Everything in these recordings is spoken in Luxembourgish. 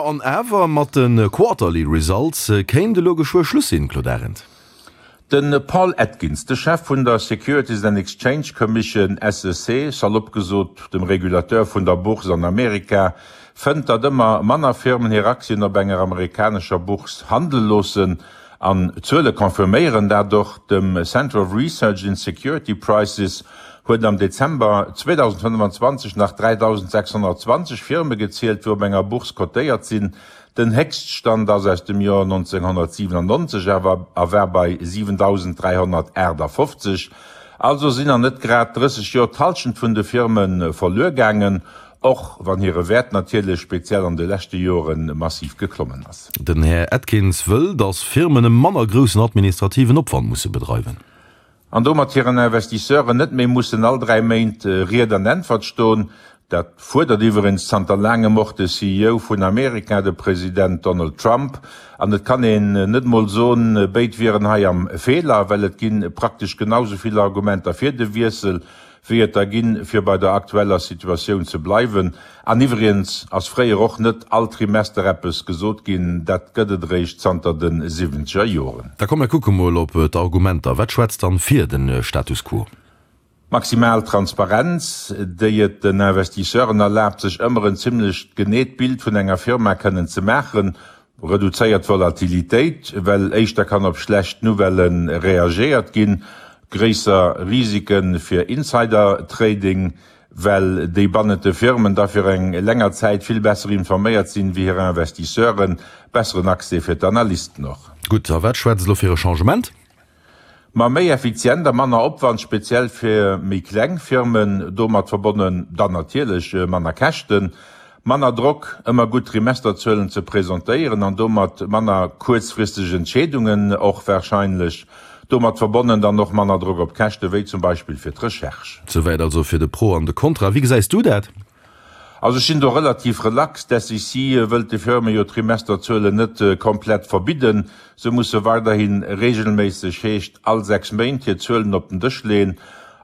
Jo, an awer mat de Quarterly Results kéint elo geschwë Schluss sinn, Claude Arend. De Paul Atkins, de Chef vun der Securities and Exchange Commission, SEC, salopp gesot dem Regulateur vun der Bourse an Amerika, fënnt, datt ëmmer manner Firmen hir Aktien op enger amerikanescher Bourse handele loossen. An d'Zuele confirméieren dat och. Dem Center of Research in Security Prices huet am Dezember 2025 nach 3.620 Firme gezielt, wou op enger Bourse cotéiert sinn. Den Héchststand ass aus dem Joer 1997 awer a war bei 7.358. Also sinn an net grad 30 Joer d'Hallschent vun de Firme verluer gaangen. Och wann hire Wäert natierlech speziell an de leschte Jore massiv geklommen ass. Den Här Atkins wëll, datt Firmen e manner groussen administrativen Opwand musse bedreiwen. An domat hiren Investisseuren net méi mussen all 3 Méint Ried an Äntwert stoen. Dat fuerdert iwweregens zanter laangem och de CEO vun Amerika, de President Donald Trump. An et kann een net mol soen, béid wieren hei am Feeler, well et gi praktesch genau sou vill Argumenter fir de Wiessel, wéi et der ginn, fir bei der aktueller Situatioun ze bleiwen. An iwwregens ass fréier och net all Trimester eppes gesot ginn, dat gëtt et eréischt zanter de siwwenzeger Joren. Da komm mir kucke mol op d'Argumenter. Wat schwätzt dann fir de Status quo? Maximal Transparenz, déi et den Investisseuren erlaabt, sech ëmmer en zimlech geneet Bild vun enger Firma kënnen ze maachen, Reduzéiert Volatilitéit, well éischter kann op schlecht Nouvellë reagéiert ginn, gréisser Risike fir Insider-Trading, well déi bannent de Firmen da fir eng länger Zäit vill besser informéiert sinn wéi hir Investisseuren, besseren Accès fir d'Analysten och. Gutt, a wat schwätzt elo fir e Changement? Ma méi effizient a manner Opwand, speziell fir méi kleng Firmen, domat verbonnen dann natierlech manner Käschten, manner Drock, ëmmer gutt Trimesterzuelen ze presentéieren an domat manner kuerzfristeg Entscheedungen och warscheinlech, domat verbonnen dann och manner Drock op d'Käschte wéi zum Beispill fir d'Recherche. Souwäit also fir de Pro an de Contra. Wéi gesäis du dat? Also ech sinn do relativ relax. D'SEC wëllt de Firme jo d'Trimesterzuelen net komplett verbidden. Se musse weiderhi reegelméisseg, heescht all 6 Méint, hir Zuelen op den Dësch leeën.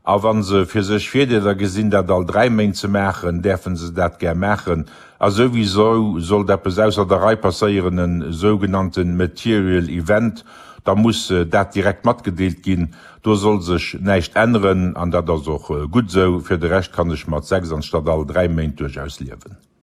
A wa se fir sech Virdeeler gesinn, dat all 3 Méint ze maachen, däerfe se dat gär maachen. A souwisou, sollt eppes ausser der Rei passéieren, e sougenannte material event, da muss dat direkt matgedeelt ginn. Do soll sech näischt änneren, an dat ass och gutt esou. Fir de Rescht kann ech mat 6 anstatt all 3 Méint duerchaus liewen.